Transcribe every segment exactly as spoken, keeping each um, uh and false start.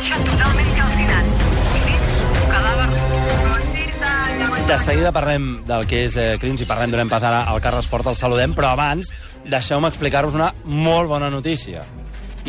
cotxe totalment calcinat. I dins un cadàver. De seguida parlem del que és eh, Crims i parlem, donem pas ara al Carles Porta, el saludem, però abans deixeu-me explicar-vos una molt bona notícia.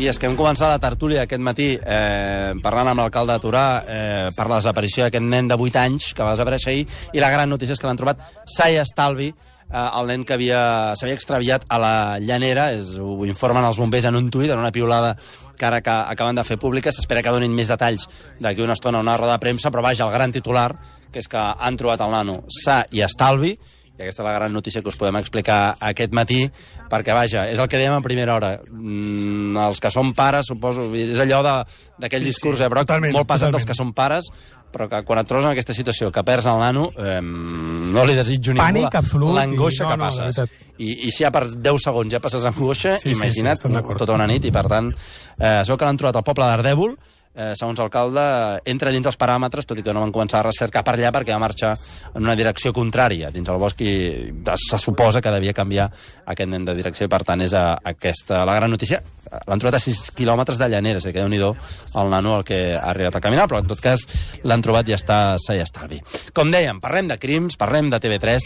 I és que hem començat la tertúlia aquest matí eh, parlant amb l'alcalde de Torà eh, per la desaparició d'aquest nen de vuit anys que va desaparèixer ahir, i la gran notícia és que l'han trobat sa i estalvi, eh, el nen que havia s'havia extraviat a la Llanera. És, ho informen els bombers en un tuit, en una piulada que ara que acaben de fer pública. S'espera que donin més detalls d'aquí una estona, una roda de premsa, però vaja, el gran titular, que és que han trobat el nano sa i estalvi. I aquesta és la gran notícia que us podem explicar aquest matí, perquè, vaja, és el que dèiem a primera hora. Mm, els que som pares, suposo, és allò d'aquell sí, discurs, sí, eh, Broc, totalment, molt pesat dels que som pares, però que quan et trobes en aquesta situació, que perds el nano, eh, no li desitjo ningú l'angoixa no, que passes. No, I, I si ja per deu segons ja passes angoixa, sí, imagina't sí, sí, tota una nit, i per tant, eh, sabeu que l'han trobat al poble d'Ardèvol. Eh, segons l'alcalde, entra dins els paràmetres, tot i que no van començar a recercar per allà perquè va marxar en una direcció contrària dins el bosc, i se suposa que devia canviar aquest nen de direcció, i per tant és a, aquesta la gran notícia. L'han trobat a sis quilòmetres de Llanera, és a dir, que déu-n'hi-do el nano el que ha arribat a caminar, però en tot cas l'han trobat i està sa i estalvi. Com dèiem, parlem de Crims, parlem de T V tres,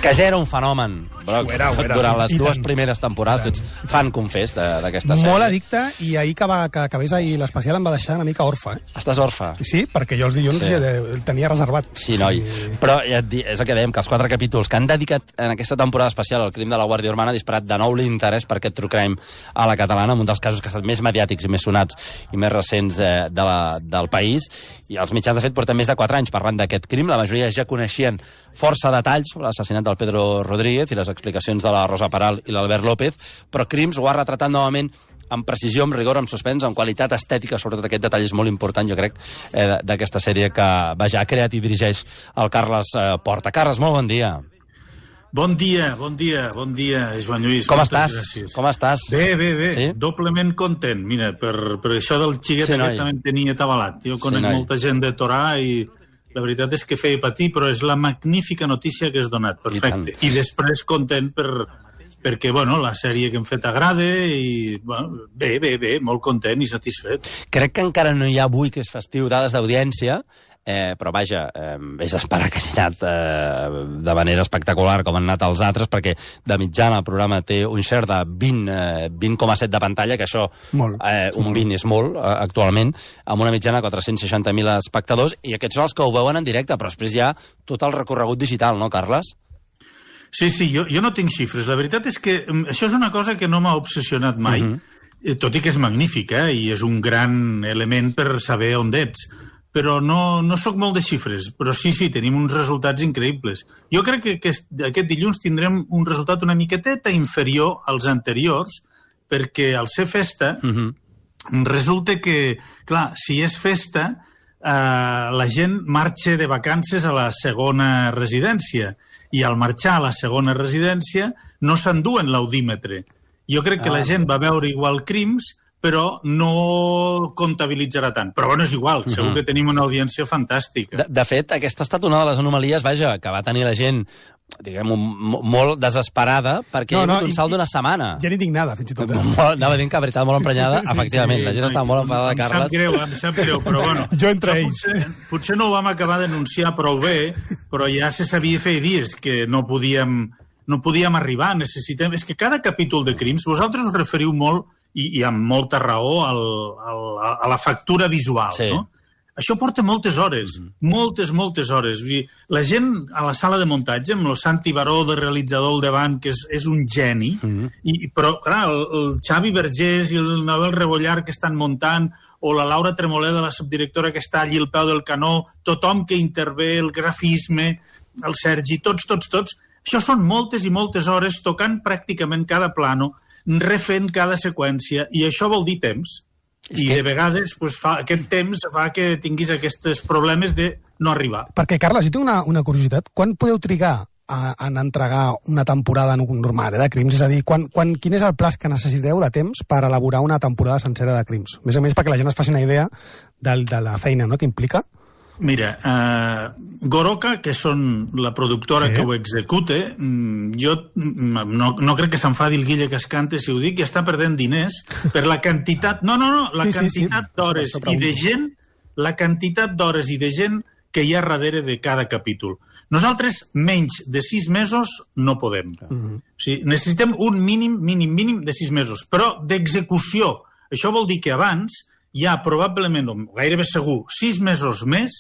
que ja era un fenomen, Broc, ho era, ho era. Durant les I dues tant. primeres temporades. Tu ets fan, confés, d'aquesta sèrie. Molt addicte, i ahir que, va, que acabés ahir l'especial em va deixar una mica orfe. Eh? Estàs orfe? Sí, perquè jo els dilluns sí. el tenia reservat. Sí, noi. Sí. Però ja et dic, és el que dèiem, que els quatre capítols que han dedicat en aquesta temporada especial al crim de la Guàrdia Urbana ha disparat de nou l'interès per aquest true crime a la catalana, un dels casos que ha estat més mediàtics i més sonats i més recents eh, de la, del país. I els mitjans, de fet, porten més de quatre anys parlant d'aquest crim. La majoria ja coneixien força detalls sobre l'assassinat del Pedro Rodríguez i les explicacions de la Rosa Peral i l'Albert López, però Crims ho ha retratat novament amb precisió, amb rigor, amb suspens, amb qualitat estètica. Sobretot aquest detall és molt important, jo crec, eh, d'aquesta sèrie que, vaja, ha creat i dirigeix el Carles eh, Porta. Carles, molt bon dia. Bon dia, bon dia, bon dia, Joan Lluís. Com estàs? Gràcies. Com estàs? Bé, bé, bé, sí? Doblement content. Mira, per, per això del xiquet sí, aquest també tenia atabalat. Jo conec sí, molta gent de Torà i la veritat és que feia patir, però és la magnífica notícia que has donat. Perfecte. I, I després content per, perquè, bueno, la sèrie que hem fet agrada i, bueno, bé, bé, bé, molt content i satisfet. Crec que encara no hi ha avui, que és festiu, dades d'audiència, Eh, però vaja, eh, és d'esperar que hagi anat eh, de manera espectacular com han anat els altres, perquè de mitjana el programa té un share de vint coma set de pantalla, que això, eh, un vint és molt eh, actualment, amb una mitjana de quatre-cents seixanta mil espectadors, i aquests són els que ho veuen en directe, però després hi ha tot el recorregut digital, no, Carles? Sí, sí, jo, jo no tinc xifres. La veritat és que això és una cosa que no m'ha obsessionat mai, uh-huh. tot i que és magnífic, eh, i és un gran element per saber on ets. Però no, no sóc molt de xifres, però sí, sí, tenim uns resultats increïbles. Jo crec que aquest, aquest dilluns tindrem un resultat una miqueteta inferior als anteriors, perquè al ser festa, uh-huh. resulta que, clar, si és festa, eh, la gent marxa de vacances a la segona residència, i al marxar a la segona residència no s'enduen l'audímetre. Jo crec que ah, la gent va veure igual Crims, però no comptabilitzarà tant. Però bueno, és igual, segur que tenim una audiència fantàstica. De, de fet, aquesta ha estat una de les anomalies, vaja, que va tenir la gent, diguem, molt desesperada, perquè no, no, hi ha hagut un salt d'una setmana. Gent indignada, fins i tot. Anava dient que la veritat molt emprenyada, sí, efectivament, sí, la gent estava molt enfadada, em Carles. Em sap greu, em sap greu, però bueno. Jo entre ells. Potser, potser no ho vam acabar d'anunciar prou bé, però ja se sabia fer dies que no podíem, no podíem arribar, necessitem... És que cada capítol de Crims, vosaltres us referiu molt I, i amb molta raó al, al, a la factura visual, sí. no? Això porta moltes hores, mm. moltes, moltes hores. La gent a la sala de muntatge, amb el Santi Baró de realitzador al davant, que és, és un geni, mm. i, però, clar, el, el Xavi Vergés i el Nabel Rebollar que estan muntant, o la Laura Tremoleda, la subdirectora que està allí al peu del canó, tothom que intervé, el grafisme, el Sergi, tots, tots, tots. Això són moltes i moltes hores tocant pràcticament cada plano, refent cada seqüència, i això vol dir temps. I que... de vegades pues, fa, aquest temps fa que tinguis aquests problemes de no arribar. Perquè, Carles, jo tinc una, una curiositat. Quan podeu trigar a, a entregar una temporada normal eh, de Crims? És a dir, quan, quan, quin és el plaç que necessiteu de temps per elaborar una temporada sencera de Crims? Més a més, perquè la gent es faci una idea del, de la feina, no?, que implica. Mira, uh, Goroka, que són la productora sí. que ho execute, jo no, no crec que s'enfadi el Guille Cascante si ho dic, que està perdent diners per la quantitat... No, no, no, la sí, quantitat sí, sí. d'hores i de gent, la quantitat d'hores i de gent que hi ha darrere de cada capítol. Nosaltres, menys de sis mesos, no podem. Mm-hmm. O sigui, necessitem un mínim, mínim, mínim de sis mesos. Però d'execució, això vol dir que abans hi ha probablement, o gairebé segur, sis mesos més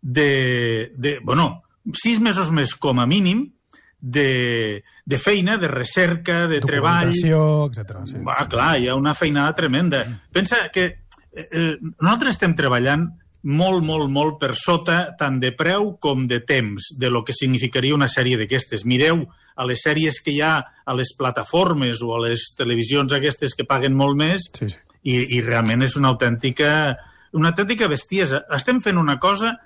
de, de... Bueno, sis mesos més com a mínim de, de feina, de recerca, de treball... Documentació, etcètera. Sí. Ah, clar, hi ha una feinada tremenda. Pensa que eh, nosaltres estem treballant molt, molt, molt per sota tant de preu com de temps de lo que significaria una sèrie d'aquestes. Mireu a les sèries que hi ha a les plataformes o a les televisions aquestes que paguen molt més sí, sí. I, i realment és una autèntica, una autèntica bestiesa. Estem fent una cosa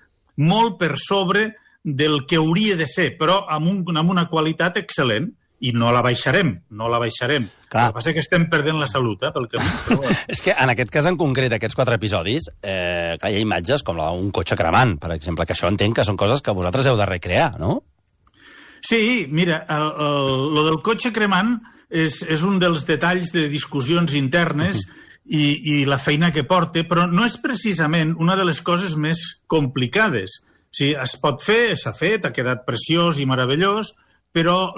molt per sobre del que hauria de ser, però amb, un, amb una qualitat excel·lent, i no la baixarem, no la baixarem. Clar. El que passa és que estem perdent la salut, eh, pel camí. Però... és que en aquest cas en concret, aquests quatre episodis, eh, clar, hi ha imatges com la d'un cotxe cremant, per exemple, que això entenc que són coses que vosaltres heu de recrear, no? Sí, mira, el, el, lo del cotxe cremant és, és un dels detalls de discussions internes uh-huh. i, i la feina que porta, però no és precisament una de les coses més complicades. O sigui, es pot fer, s'ha fet, ha quedat preciós i meravellós, però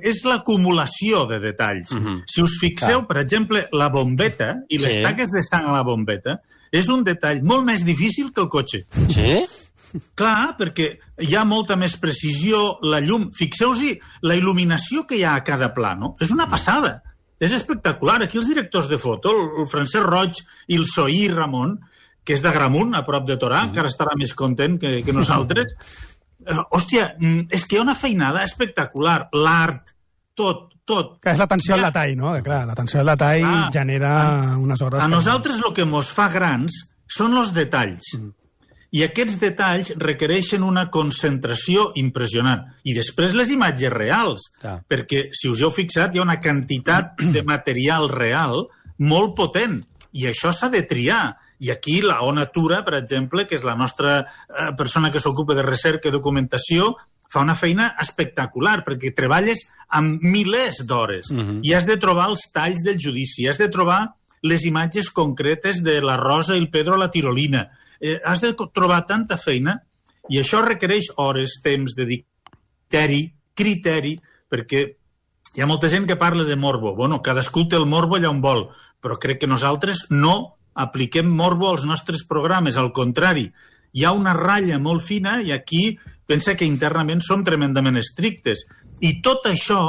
és l'acumulació de detalls. Uh-huh. Si us fixeu, clar. Per exemple, la bombeta i les sí. taques de sang a la bombeta és un detall molt més difícil que el cotxe. Sí? Clar, perquè hi ha molta més precisió, la llum... Fixeu-vos la il·luminació que hi ha a cada plano. És una passada. És espectacular. Aquí els directors de foto, el Francesc Roig i el Soí Ramon, que és d'Agramunt, a prop de Torà, uh-huh. encara estarà més content que, que nosaltres... Uh, hòstia, és que hi ha una feinada espectacular. L'art, tot, tot. Que és l'atenció al detall, no? Que, clar, l'atenció al detall ah, genera a, unes hores... A nosaltres el que ens fa grans són els detalls. Mm. I aquests detalls requereixen una concentració impressionant. I després les imatges reals. Clar. Perquè, si us heu fixat, hi ha una quantitat de material real molt potent. I això s'ha de triar. I aquí la O Natura, per exemple, que és la nostra eh, persona que s'ocupa de recerca i documentació, fa una feina espectacular, perquè treballes amb milers d'hores uh-huh. i has de trobar els talls del judici, has de trobar les imatges concretes de la Rosa i el Pedro a la tirolina. Eh, has de trobar tanta feina i això requereix hores, temps, dedicar-hi, criteri, perquè hi ha molta gent que parla de morbo. Bueno, cadascú té el morbo allà on vol, però crec que nosaltres no apliquem morbo als nostres programes, al contrari. Hi ha una ratlla molt fina i aquí pensa que internament som tremendament estrictes. I tot això,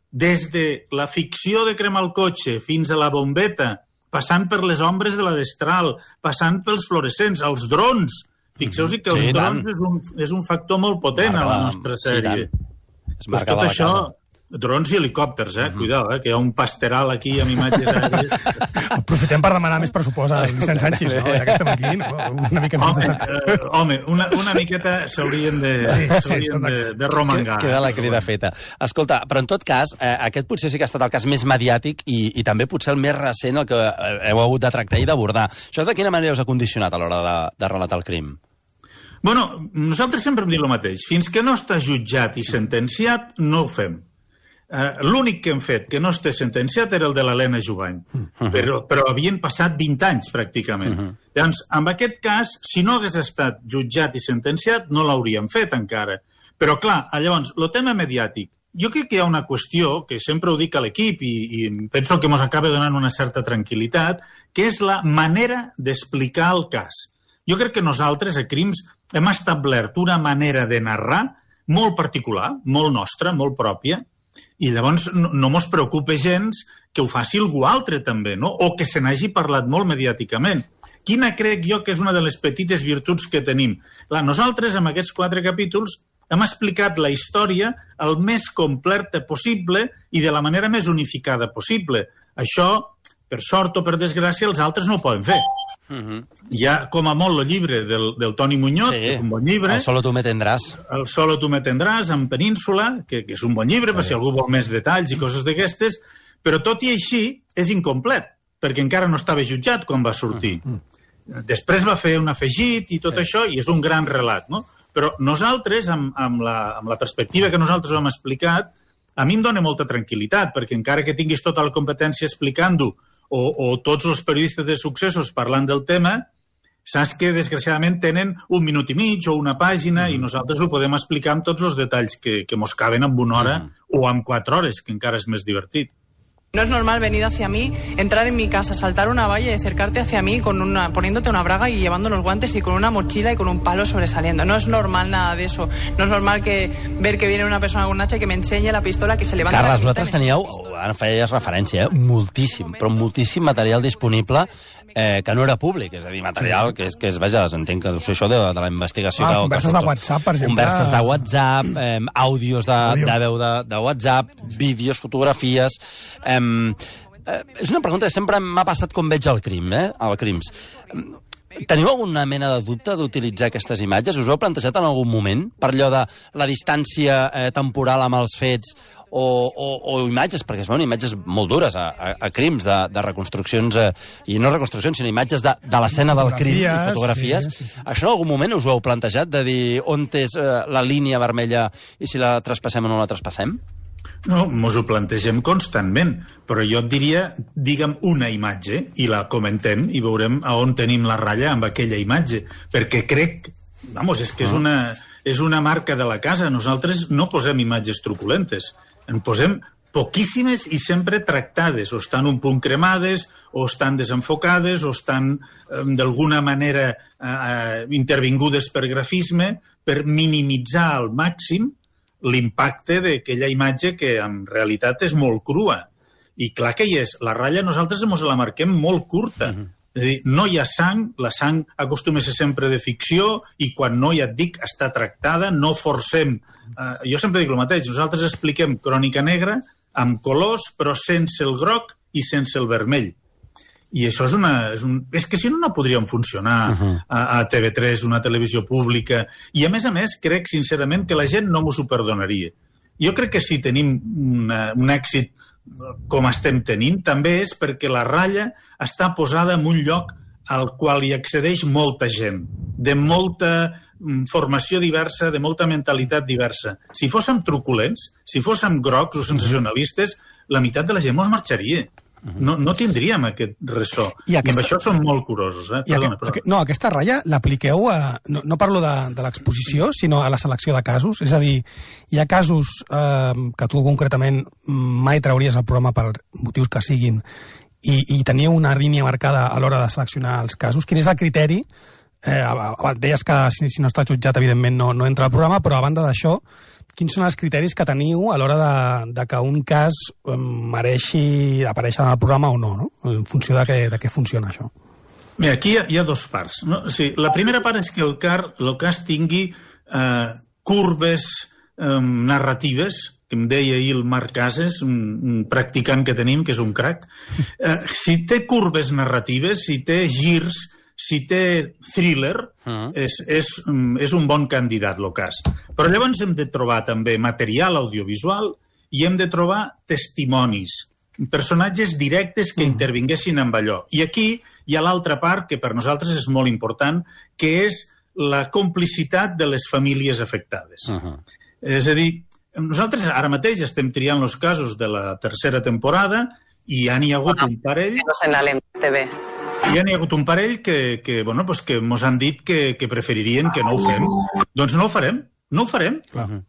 des de la ficció de cremar el cotxe fins a la bombeta, passant per les ombres de la destral, passant pels fluorescents, els drons. Fixeu-vos que els sí, drons és un, és un factor molt potent marca a la nostra sèrie. Sí, pues tot això... Casa. Drons i helicòpters, eh? Uh-huh. Cuidao, eh? Que hi ha un pasteral aquí amb imatges aèries. Aprofitem per demanar més pressupost a Vicent Sánchez, no? Ja que estem aquí, no? Una mica home, més de... uh, home, una, una miqueta s'haurien de, sí, sí, de, de romangar. Queda la crida feta. Escolta, però en tot cas, eh, aquest potser sí que ha estat el cas més mediàtic i, i també potser el més recent el que heu hagut de tractar i d'abordar. Això de quina manera us ha condicionat a l'hora de, de relatar el crim? Bueno, nosaltres sempre hem dit el mateix. Fins que no està jutjat i sentenciat, no ho fem. Uh, l'únic que hem fet que no està sentenciat era el de l'Helena Jubany, uh-huh. però, però havien passat vint anys, pràcticament. Uh-huh. Llavors, en aquest cas, si no hagués estat jutjat i sentenciat, no l'hauríem fet encara. Però, clar, llavors, el tema mediàtic, jo crec que hi ha una qüestió, que sempre ho dic a l'equip i, i penso que ens acaba donant una certa tranquil·litat, que és la manera d'explicar el cas. Jo crec que nosaltres, a Crims, hem establert una manera de narrar molt particular, molt nostra, molt pròpia, i llavors no, no mos preocupa gens que ho faci algú altre també, no? O que se n'hagi parlat molt mediàticament. Quina crec jo que és una de les petites virtuts que tenim? Clar, nosaltres, amb aquests quatre capítols, hem explicat la història el més completa possible i de la manera més unificada possible. Això, per sort o per desgràcia, els altres no ho poden fer. Uh-huh. Hi ha, com a molt, el llibre del, del Toni Muñoz, sí, que és un bon llibre. El Solo tu me tendràs. El Solo tu me tendràs, en Península, que, que és un bon llibre, sí. Per si algú vol més detalls i coses d'aquestes, però tot i així és incomplet, perquè encara no estava jutjat quan va sortir. Uh-huh. Després va fer un afegit i tot sí. això, i és un gran relat, no? Però nosaltres, amb, amb, la, amb la perspectiva que nosaltres hem explicat, a mi em dona molta tranquil·litat, perquè encara que tinguis tota la competència explicant-ho, o, o tots els periodistes de successos parlant del tema, saps que, desgraciadament, tenen un minut i mig o una pàgina mm. i nosaltres ho podem explicar amb tots els detalls que, que mos caben en una hora mm. o en quatre hores, que encara és més divertit. No es normal venir hacia mí, entrar en mi casa, saltar una valla y acercarte hacia mí con una, poniéndote una braga y llevando los guantes y con una mochila y con un palo sobresaliendo. No es normal nada de eso. No es normal que ver que viene una persona con un hacha y que me enseñe la pistola, que se levanta Carles, la pista... Carles, vosaltres teníeu, ara feies referència, eh? moltíssim, però moltíssim material disponible eh, que no era públic, és a dir, material que és, que és vaja, entenc que deu ser això de, de la investigació. Ah, que, converses que de WhatsApp, per exemple. Converses de WhatsApp, eh, àudios de, de veu de, de WhatsApp, vídeos, fotografies... Eh, eh, és una pregunta que sempre m'ha passat com veig el crim, eh, el crims. Teniu alguna mena de dubte d'utilitzar aquestes imatges? Us ho heu plantejat en algun moment? Per allò de la distància eh, temporal amb els fets o, o, o imatges, perquè es veuen imatges molt dures a, a, a crims, de, de reconstruccions, eh, i no reconstruccions, sinó imatges de, de l'escena del crim i fotografies. Sí, sí, sí. Això en algun moment us ho heu plantejat, de dir on és eh, la línia vermella i si la traspassem o no la traspassem? No, mos ho plantegem constantment, però jo et diria, digue'm una imatge i la comentem i veurem a on tenim la ratlla amb aquella imatge, perquè crec, vamos, és que és una, és una marca de la casa. Nosaltres no posem imatges truculentes, en posem poquíssimes i sempre tractades, o estan un punt cremades, o estan desenfocades, o estan eh, d'alguna manera eh, intervingudes per grafisme, per minimitzar al màxim l'impacte d'aquella imatge que en realitat és molt crua. I clar que hi és. La ratlla nosaltres ens la marquem molt curta. Uh-huh. És a dir, no hi ha sang, la sang acostuma a ser sempre de ficció i quan no, ja et dic, està tractada, no forcem. Uh, jo sempre dic el mateix, nosaltres expliquem Crònica Negra amb colors però sense el groc i sense el vermell. I això és una... És, un, és que si no, no podríem funcionar uh-huh. a, a T V tres, una televisió pública. I, a més a més, crec sincerament que la gent no m'ho perdonaria. Jo crec que si tenim una, un èxit com estem tenint, també és perquè la ratlla està posada en un lloc al qual hi accedeix molta gent, de molta formació diversa, de molta mentalitat diversa. Si fóssim truculents, si fóssim grocs o sensacionalistes, la meitat de la gent mos marxaria. No, no tindríem aquest ressò. I, aquesta... I amb això som molt curosos. Eh? Perdona, aquest, aquest, no, aquesta ratlla l'apliqueu a... No, no parlo de, de l'exposició, sinó a la selecció de casos. És a dir, hi ha casos eh, que tu concretament mai trauries al programa per motius que siguin i, i teniu una línia marcada a l'hora de seleccionar els casos. Quin és el criteri? Eh, deies que si, si no està jutjat, evidentment, no, no entra al programa, però a banda d'això, quins són els criteris que teniu a l'hora de, de que un cas mereixi aparèixer en el programa o no, no? En funció de què, de què funciona això. Mira, aquí hi ha, hi ha dos parts. No? O sigui, la primera part és que el, car, el cas tingui eh, curves eh, narratives, que em deia ahir el Marc Casas, un, un practicant que tenim, que és un crac. Eh, si té curves narratives, si té girs, si té thriller, uh-huh. és, és, és un bon candidat, el cas. Però llavors hem de trobar també material audiovisual i hem de trobar testimonis, personatges directes que uh-huh. intervinguessin amb allò. I aquí hi ha l'altra part, que per nosaltres és molt important, que és la complicitat de les famílies afectades. Uh-huh. És a dir, nosaltres ara mateix estem triant els casos de la tercera temporada i ja n'hi ha hagut un parell... En la T V. Ja n'hi ha hagut un parell que, que, bueno, pues que mos han dit que, que preferirien que no ho fem. Doncs no ho farem, no ho farem. Uh-huh.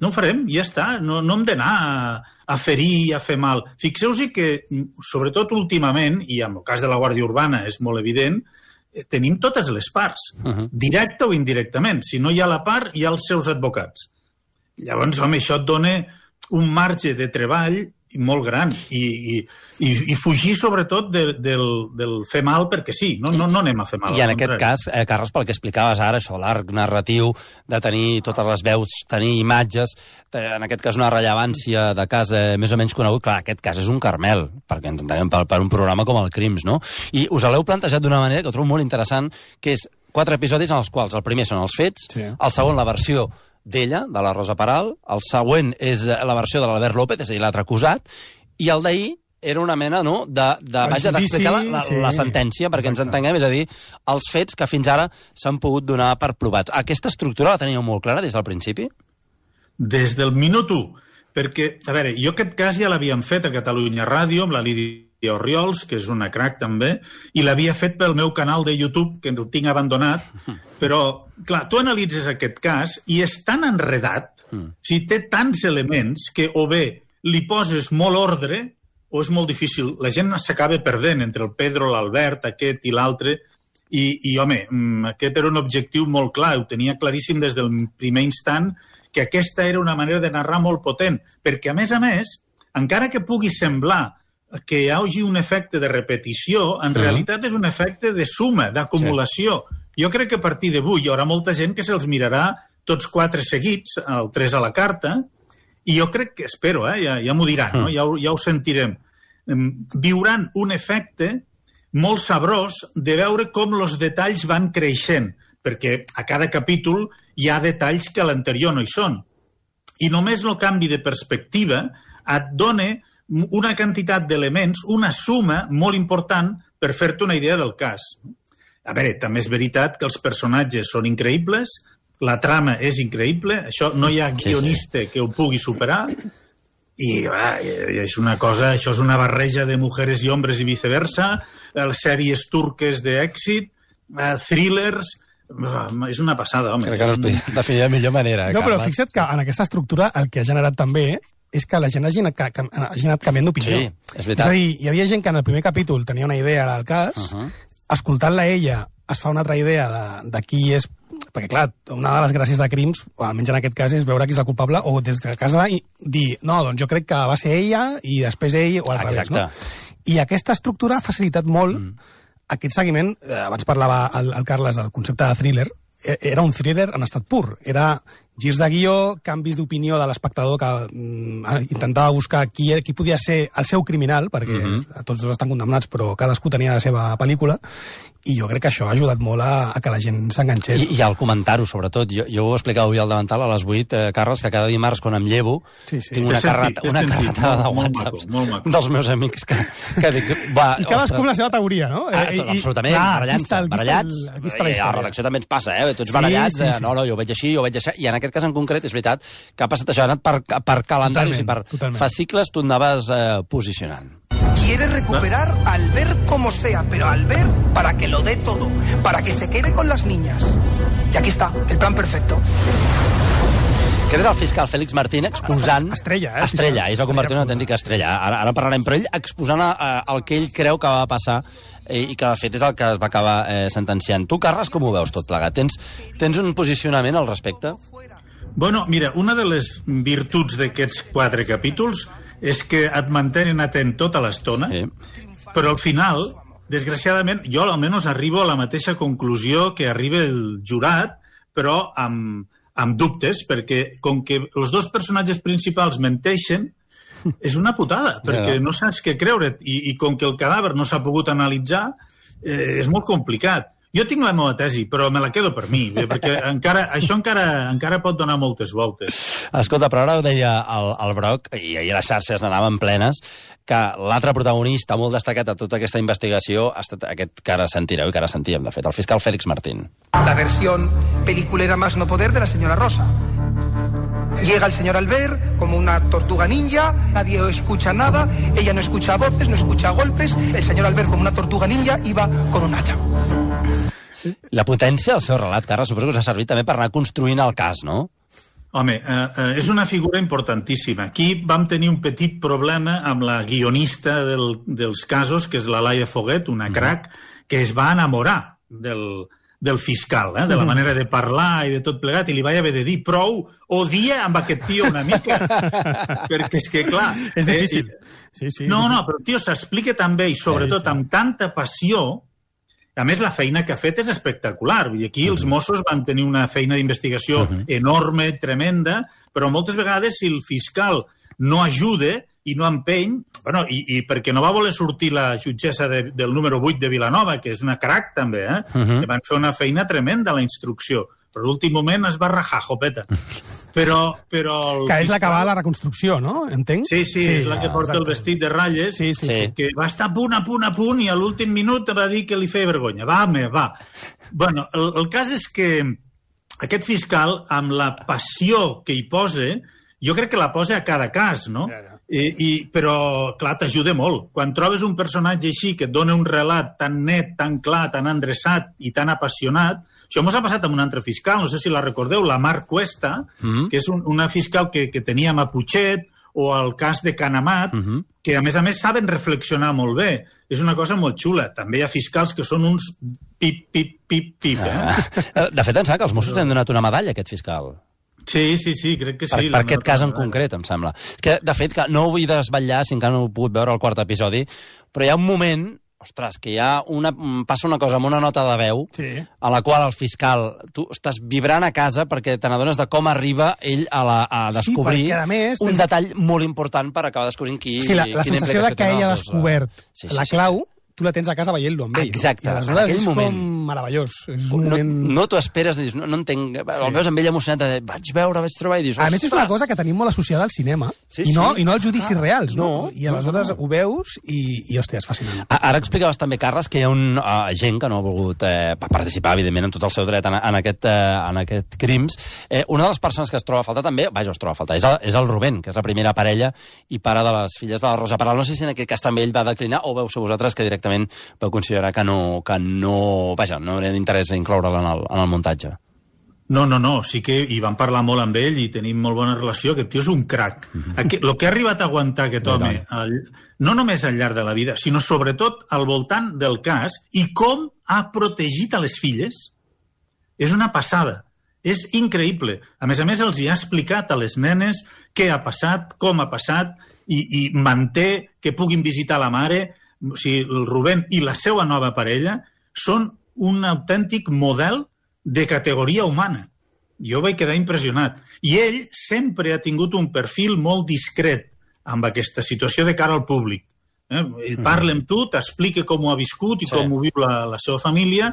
No ho farem, ja està. No, no hem d'anar a, a ferir, a fer mal. Fixeu-vos que, sobretot últimament, i en el cas de la Guàrdia Urbana és molt evident, tenim totes les parts, uh-huh. directe o indirectament. Si no hi ha la part, hi ha els seus advocats. Llavors, home, això et dona un marge de treball molt gran i, i, i, i fugir sobretot de, del, del fer mal perquè sí, no, no, no anem a fer mal. I en aquest cas, eh, Carles, pel que explicaves ara, això, l'arc narratiu, de tenir totes les veus, tenir imatges, en aquest cas una rellevància de cas eh, més o menys conegut, clar, aquest cas és un Carmel, perquè ens entenem per, per un programa com el Crims, no? I us l'heu plantejat d'una manera que ho trobo molt interessant, que és quatre episodis en els quals el primer són els fets, sí. El segon la versió d'ella, de la Rosa Peral, el següent és la versió de l'Albert López, és a dir, l'altre acusat, i el d'ahir era una mena, no?, de, de vaja, d'explicar la, la, sí. la sentència, perquè Exacte. ens entenguem, és a dir, els fets que fins ara s'han pogut donar per provats. Aquesta estructura la teníeu molt clara des del principi? Des del minut u. Perquè, a veure, jo aquest cas ja l'havíem fet a Catalunya Ràdio, amb la Lídia Orriols, que és una crac també, i l'havia fet pel meu canal de YouTube, que el tinc abandonat, però, clar, tu analitzes aquest cas i és tan enredat, mm. o sigui, té tants elements que o bé li poses molt ordre o és molt difícil. La gent s'acaba perdent entre el Pedro, l'Albert, aquest i l'altre, i, i, home, aquest era un objectiu molt clar, ho tenia claríssim des del primer instant, que aquesta era una manera de narrar molt potent, perquè, a més a més, encara que pugui semblar que hi hagi un efecte de repetició, en sí. realitat és un efecte de suma, d'acumulació. Sí. Jo crec que a partir d'avui hi haurà molta gent que se'ls mirarà tots quatre seguits, el tres a la carta, i jo crec que, espero, eh, ja, ja m'ho diran, no? ja, ho, ja ho sentirem, viuran un efecte molt sabrós de veure com els detalls van creixent, perquè a cada capítol hi ha detalls que a l'anterior no hi són. I només el canvi de perspectiva et dona una quantitat d'elements, una suma molt important per fer-te una idea del cas. A veure, també és veritat que els personatges són increïbles, la trama és increïble, això no hi ha guionista que ho pugui superar, i ah, és una cosa, això és una barreja de mujeres i hombres i viceversa, les sèries turques d'èxit, thrillers... És una passada, home. Crec que no es podia definir de millor manera. No, però fixa't que en aquesta estructura el que ha generat també és que la gent hagi anat, hagi anat canviant d'opinió. Sí, és veritat. És a dir, hi havia gent que en el primer capítol tenia una idea del cas, uh -huh. escoltant-la ella es fa una altra idea de, de qui és... Perquè, clar, una de les gràcies de Crims, o almenys en aquest cas, és veure qui és el culpable, o des de casa i dir, no, doncs jo crec que va ser ella, i després ell, o al revés, no? I aquesta estructura ha facilitat molt mm. aquest seguiment. Eh, abans parlava el, el Carles del concepte de thriller, era un thriller en estat pur. Era girs de guió, canvis d'opinió de l'espectador que mm, intentava buscar qui, qui podia ser el seu criminal, perquè mm-hmm. tots dos estan condemnats, però cadascú tenia la seva pel·lícula, i jo crec que això ha ajudat molt a, a que la gent s'enganxés. I, i al comentar-ho, sobretot. Jo, jo ho explicava avui al davantal a les vuit, eh, Carles, que cada dimarts, quan em llevo, sí, sí. tinc una carreta una carreta de whatsapps dels meus amics que, que dic... Va, I cadascú amb la seva teoria, no? Ah, tot, absolutament, barallant-se, barallats. Aquí està la història. A la redacció també ens passa, eh? Tots barallats, sí, sí, sí. no, no, jo ho veig així, jo ho veig així, i en aquest cas en concret és veritat que ha passat això, ha anat per, per calendaris totalment, i per totalment. fascicles tu anaves eh, posicionant. Quiere recuperar a Albert como sea, pero Albert para que lo dé todo, para que se quede con las niñas. Y aquí está, el plan perfecto. Aquest és el fiscal Félix Martín exposant... Estrella, eh? Estrella, ell es va convertir en una autèntica estrella. Ara, ara parlarem, però ell exposant a, a, el que ell creu que va passar i que, de fet, és el que es va acabar eh, sentenciant. Tu, Carles, com ho veus tot plegat? Tens, tens un posicionament al respecte? Bueno, mira, una de les virtuts d'aquests quatre capítols és que et mantenen atent tota l'estona, sí. però al final, desgraciadament, jo almenys arribo a la mateixa conclusió que arriba el jurat, però amb, amb dubtes, perquè com que els dos personatges principals menteixen, és una putada, perquè no saps què creure't, i, i com que el cadàver no s'ha pogut analitzar, eh, és molt complicat. Jo tinc la meva tesi, però me la quedo per mi, perquè encara, això encara, encara pot donar moltes voltes. Escolta, però ara ho deia el, el Broc, i ahir les xarxes n'anaven plenes, que l'altre protagonista molt destacat a tota aquesta investigació ha estat aquest que ara sentireu i que ara sentíem, de fet, el fiscal Félix Martín. La versión peliculera más no poder de la señora Rosa. Llega el señor Albert como una tortuga ninja, nadie escucha nada, ella no escucha voces, no escucha golpes, el señor Albert como una tortuga ninja iba con un hacha. La potència del seu relat, Carles, suposo que us ha servit també per anar construint el cas, no? Home, eh, eh, és una figura importantíssima. Aquí vam tenir un petit problema amb la guionista del, dels casos, que és la Laia Foguet, una crac, que es va enamorar del, del fiscal, eh, de la manera de parlar i de tot plegat, i li vaig haver de dir prou, odia amb aquest tio una mica, perquè és que, clar... És difícil. Eh, sí, sí, no, sí. no, però el tio s'explica tan bé i sobretot sí, sí. amb tanta passió. A més, la feina que ha fet és espectacular. Vull dir, aquí uh-huh. els Mossos van tenir una feina d'investigació uh-huh. enorme, tremenda, però moltes vegades si el fiscal no ajuda i no empeny, bueno, i, i perquè no va voler sortir la jutgessa de, del número vuit de Vilanova, que és una crac també, eh? Uh-huh. que van fer una feina tremenda a la instrucció, però a l'últim moment es va rajar, jopeta. Però, però que és la que va a la reconstrucció, no? Entenc? Sí, sí, sí, és la que porta exacte. El vestit de ratlles, sí, sí, sí. que va estar a punt, a punt, a punt, i a l'últim minut va dir que li feia vergonya. Va, home, va. Bueno, el, el cas és que aquest fiscal, amb la passió que hi posa, jo crec que la posa a cada cas, no? I, i, però, clar, t'ajuda molt. Quan trobes un personatge així que et dona un relat tan net, tan clar, tan endreçat i tan apassionat. Això mos ha passat amb un altre fiscal, no sé si la recordeu, la Mar Cuesta, mm-hmm. que és un, una fiscal que, que teníem a Putxet, o el cas de Canamat, mm-hmm. que a més a més saben reflexionar molt bé. És una cosa molt xula. També hi ha fiscals que són uns pip, pip, pip, pip. Eh? Ah. De fet, em sembla que els Mossos li han donat una medalla a aquest fiscal. Sí, sí, sí, crec que sí. Per, per aquest cas en concret, em sembla. Que, de fet, que no ho vull desvetllar, si encara no ho he pogut veure al quart episodi, però hi ha un moment, ostres, que hi ha una, passa una cosa amb una nota de veu, sí. a la qual el fiscal, tu estàs vibrant a casa perquè te n'adones de com arriba ell a, la, a descobrir sí, a més, un tens... detall molt important per acabar descobrint qui, sí, la, la quina sensació de que ell ha descobert dos, uh... sí, sí, la clau... Sí. Tu la tens a casa veient-lo amb ell. Exacte, no? I aleshores és moment. com meravellós. És un no moment... no t'ho esperes, dius, no, no entenc... Sí. El veus amb ell emocionat, de, vaig veure, vaig trobar, i dius... A més, és una cosa que tenim molt associada al cinema, sí, i, no, sí. i no als judicis ah, reals, no? no? I aleshores no, no. ho veus i, i hòstia, és fascinant. Ara explicaves també, Carles, que hi ha un uh, gent que no ha volgut eh, participar, evidentment, en tot el seu dret en, en, aquest, eh, en aquest crims. Eh, una de les persones que es troba a faltar també, vaja, es troba a faltar, és el, és el Rubén, que és la primera parella i pare de les filles de la Rosa Peral. No sé si en aquest cas també ell va declinar o veu ser vosaltres que directament veu considerar que no, que no, vaja, no era d'interès incloure'l en el, en el muntatge. No, no, no, sí que hi vam parlar molt amb ell i tenim molt bona relació, aquest tio és un crac. Aquest, el que ha arribat a aguantar aquest home, el, no només al llarg de la vida, sinó sobretot al voltant del cas i com ha protegit a les filles, és una passada. És increïble. A més a més, els hi ha explicat a les nenes què ha passat, com ha passat, i, i manté que puguin visitar la mare. O sigui, el Rubén i la seva nova parella són un autèntic model de categoria humana. Jo vaig quedar impressionat. I ell sempre ha tingut un perfil molt discret amb aquesta situació de cara al públic. Eh? Ell parla amb tu, t'explica com ho ha viscut i sí. com ho viu la, la seva família,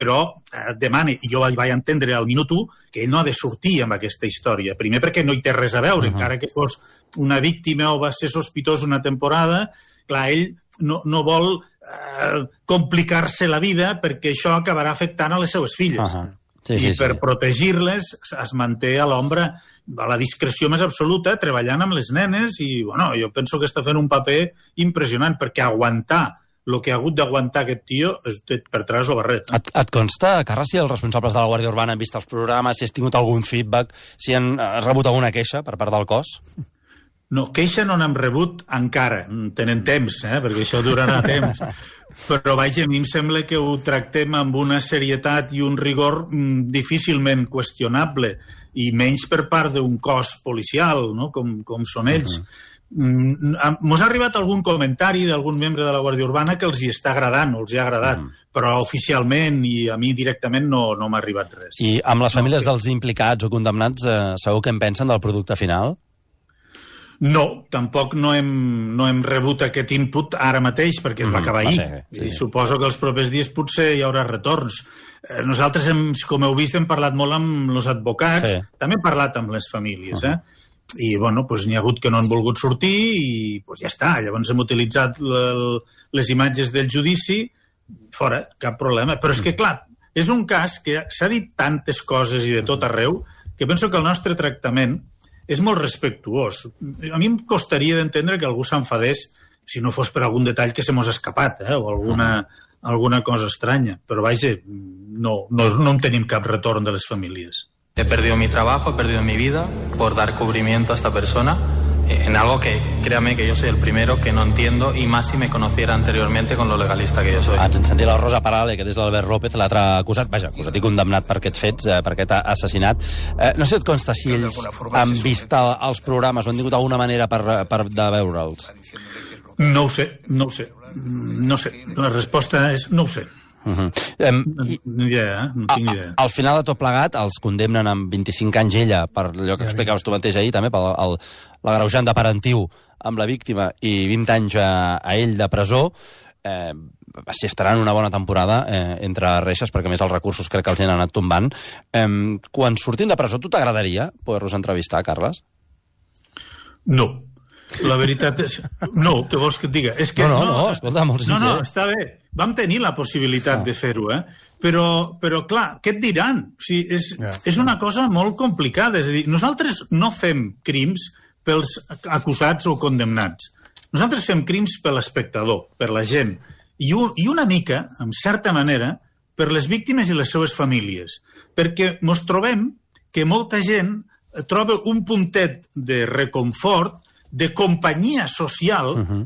però et demana, i jo vaig entendre al minut u, que ell no ha de sortir amb aquesta història. Primer perquè no hi té res a veure, uh-huh. encara que fos una víctima o va ser sospitós una temporada. Clar, ell no, no vol eh, complicar-se la vida perquè això acabarà afectant a les seues filles. Uh -huh. sí, I sí, per sí. protegir-les es manté a l'ombra, a la discreció més absoluta, treballant amb les nenes i, bueno, jo penso que està fent un paper impressionant perquè aguantar el que ha hagut d'aguantar aquest tio és per tràs o barret. Eh? Et, et consta, Carles, si els responsables de la Guàrdia Urbana han vist els programes, si has tingut algun feedback, si han has rebut alguna queixa per part del cos? No, queixa no n'hem rebut encara. Tenen temps, eh? Perquè això durarà temps. Però, vaja, a mi em sembla que ho tractem amb una serietat i un rigor mm, difícilment qüestionable, i menys per part d'un cos policial, no? com, com són ells. Uh-huh. Mos ha arribat algun comentari d'algun membre de la Guàrdia Urbana que els hi està agradant, o els hi ha agradat, mm. però oficialment i a mi directament no, no m'ha arribat res. I amb les famílies no, dels implicats o condemnats, eh, sabeu què en pensen del producte final? No, tampoc no hem, no hem rebut aquest input ara mateix, perquè es va acabar ahir. Mm, sí, sí. I suposo que els propers dies potser hi haurà retorns. Eh, nosaltres, hem, com heu vist, hem parlat molt amb els advocats, sí. també hem parlat amb les famílies, uh-huh. eh? I, bueno, doncs n'hi ha hagut que no han volgut sortir i doncs ja està. Llavors hem utilitzat l- les imatges del judici, fora, cap problema. Però és que, clar, és un cas que s'ha dit tantes coses i de tot arreu que penso que el nostre tractament és molt respectuós. A mi em costaria d'entendre que algú s'enfadés si no fos per algun detall que se mos ha escapat, eh? o alguna, alguna cosa estranya. Però, vaja, no, no, no en tenim cap retorn de les famílies. He perdido mi trabajo, he perdido mi vida por dar cubrimiento a esta persona en algo que, créame, que yo soy el primero que no entiendo, y más si me conociera anteriormente con lo legalista que yo soy. Ens en sentit la Rosa Peral, que és l'Albert López, l'altre acusat, vaja, acusat i condemnat per aquests fets, eh, per aquest assassinat. Eh, no sé si et consta si ells han vist el, els programes o han tingut alguna manera per, per de veure'ls. No ho sé, no ho sé. No sé. La resposta és no ho sé. Uh-huh. Um, no, no, idea, no tinc idea. Al final de tot plegat els condemnen amb vint-i-cinc anys ella per allò que explicaves tu mateix ahir també, per el, l'agreujant de parentiu amb la víctima i vint anys a, a ell de presó. eh, si estaran una bona temporada eh, entre reixes, perquè més els recursos crec que els han anat tombant. Eh, quan surtin de presó, tu t'agradaria poder-los entrevistar, Carles? No. La veritat és... No, què vols que et diga? És que no, no, no, no, escolta, molt sincer. No, no, està bé. Vam tenir la possibilitat ah. de fer-ho, eh? Però, però, clar, què et diran? O sigui, és, yeah. és una cosa molt complicada. És a dir, nosaltres no fem crims pels acusats o condemnats. Nosaltres fem crims per l'espectador, per la gent, i, un, i una mica, en certa manera, per les víctimes i les seues famílies. Perquè ens trobem que molta gent troba un puntet de reconfort, de companyia social, uh-huh.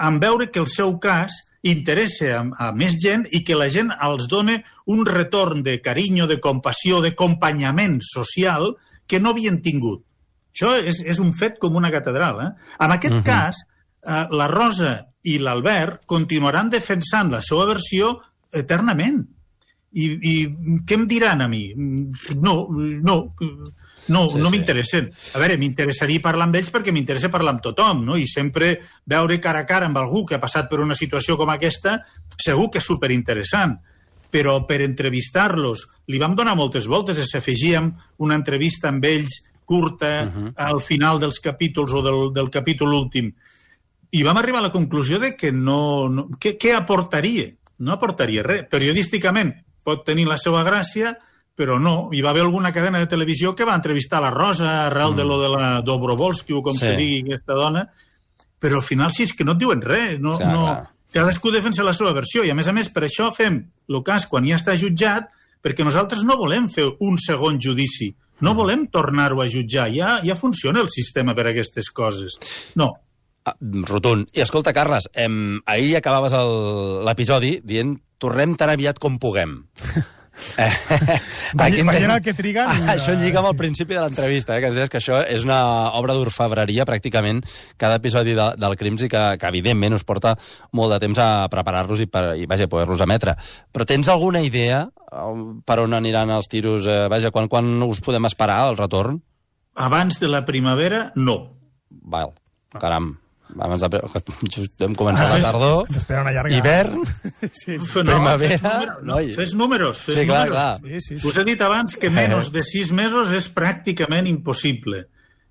en veure que el seu cas interessa a, a més gent i que la gent els dona un retorn de carinyo, de compassió, d'acompanyament social que no havien tingut. Això és, és un fet com una catedral. Eh? En aquest uh-huh. cas, eh, la Rosa i l'Albert continuaran defensant la seva versió eternament. I, i què em diran a mi? No, no, no, sí, no m'interessen. A veure, m'interessaria parlar amb ells perquè m'interessa parlar amb tothom, no? I sempre veure cara a cara amb algú que ha passat per una situació com aquesta, segur que és superinteressant. Però per entrevistar-los, li vam donar moltes voltes, s'afegíem una entrevista amb ells curta, uh-huh. al final dels capítols o del, del capítol últim. I vam arribar a la conclusió de que no... no què, què aportaria? No aportaria res. Periodísticament pot tenir la seva gràcia, però no. Hi va haver alguna cadena de televisió que va entrevistar la Rosa arrel mm. de lo de la Dobrovolsky o com sí. se digui aquesta dona, però al final sí, és que no et diuen res. No, sí, no... Cadascú defensa la seva versió i, a més a més, per això fem el cas quan ja està jutjat, perquè nosaltres no volem fer un segon judici. No volem tornar-ho a jutjar. Ja, ja funciona el sistema per a aquestes coses. No. Ah, rotund. I escolta, Carles, em, ahir acabaves l'episodi dient tornem tan aviat com puguem. Eh, Veient el que triguen... Ah, això lliga amb el principi de l'entrevista, eh, que es deies que això és una obra d'orfebreria, pràcticament, cada episodi de, del Crims, i que, que evidentment us porta molt de temps a preparar-los i, per, i vaja, poder-los emetre. Però tens alguna idea per on aniran els tiros? Eh, vaja, quan, quan us podem esperar, el retorn? Abans de la primavera, no. Val, caram. Abans de... Just hem començat ah, la tardor, una llarga... hivern, sí, sí. primavera... No, no, fes números, fes sí, clar, números. Clar. Sí, sí, sí. Us he dit abans que menys de sis mesos és pràcticament impossible.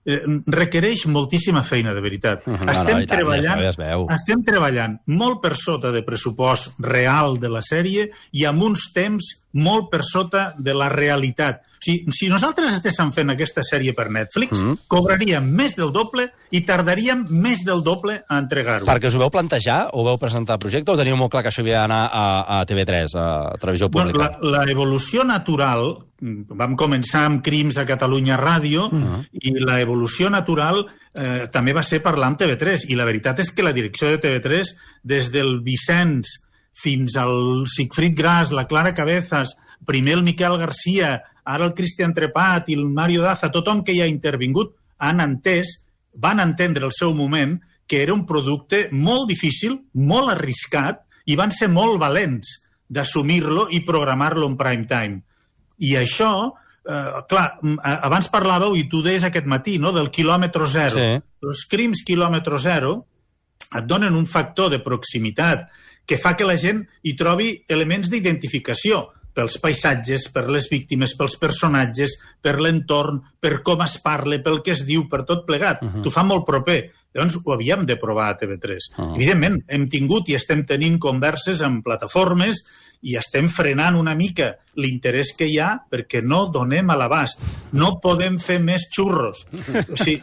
Eh, requereix moltíssima feina, de veritat. No, estem, no, treballant, ja es veu. estem treballant molt per sota de pressupost real de la sèrie i amb uns temps molt per sota de la realitat. Si, si nosaltres estéssim fent aquesta sèrie per Netflix, mm. cobraríem més del doble i tardaríem més del doble a entregar-ho. Perquè us ho veu plantejar o veu presentar el projecte o teniu molt clar que això havia d'anar a, a T V tres, a Televisió Pública? Bueno, la, la evolució natural, vam començar amb Crims a Catalunya Ràdio, mm. i la evolució natural eh, també va ser parlar amb T V tres. I la veritat és que la direcció de T V tres, des del Vicenç fins al Sigfrid Gras, la Clara Cabezas, primer el Miquel Garcia, ara el Cristian Trepat i el Mario Daza, tothom que hi ha intervingut, han entès, van entendre el seu moment, que era un producte molt difícil, molt arriscat, i van ser molt valents d'assumir-lo i programar-lo en prime time. I això, eh, clar, abans parlàveu, i tu deies aquest matí, no?, del quilòmetre zero. Sí. Els Crims quilòmetre zero et donen un factor de proximitat que fa que la gent hi trobi elements d'identificació, pels paisatges, per les víctimes, pels personatges, per l'entorn, per com es parla, pel que es diu, per tot plegat. Uh-huh. T'ho fa molt proper. Llavors ho havíem de provar a T V tres. Uh-huh. Evidentment, hem tingut i estem tenint converses amb plataformes i estem frenant una mica l'interès que hi ha perquè no donem a l'abast. No podem fer més xurros. O sigui,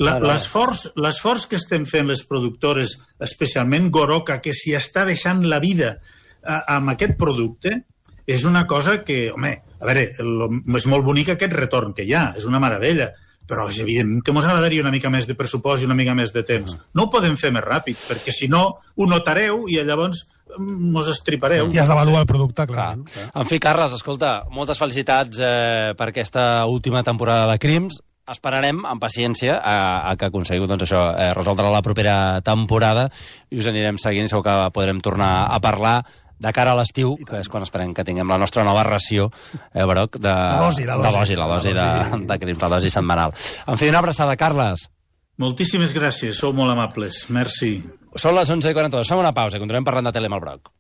la, l'esforç, l'esforç que estem fent les productores, especialment Goroka, que s'hi està deixant la vida a, amb aquest producte, és una cosa que, home, a veure, el, és molt bonic aquest retorn que hi ha, és una meravella, però és evident que ens agradaria una mica més de pressupost i una mica més de temps. No ho podem fer més ràpid, perquè si no ho notareu i llavors mos estripareu. I has d'avaluar el producte, clar. clar. En fi, Carles, escolta, moltes felicitats eh, per aquesta última temporada de Crims. Esperarem amb paciència a, a que aconseguiu doncs, això, eh, resoldre la propera temporada i us anirem seguint, segur que podrem tornar a parlar de cara a l'estiu, que és quan esperem que tinguem la nostra nova ració, eh, Broc, de... La dosi, la dosi. La dosi, la dosi, la dosi. De, de Crims, la dosi setmanal. En fi, una abraçada, Carles. Moltíssimes gràcies, sou molt amables. Merci. Són les onze i quaranta-dos. Fem una pausa i continuem parlant de tele amb el Broc.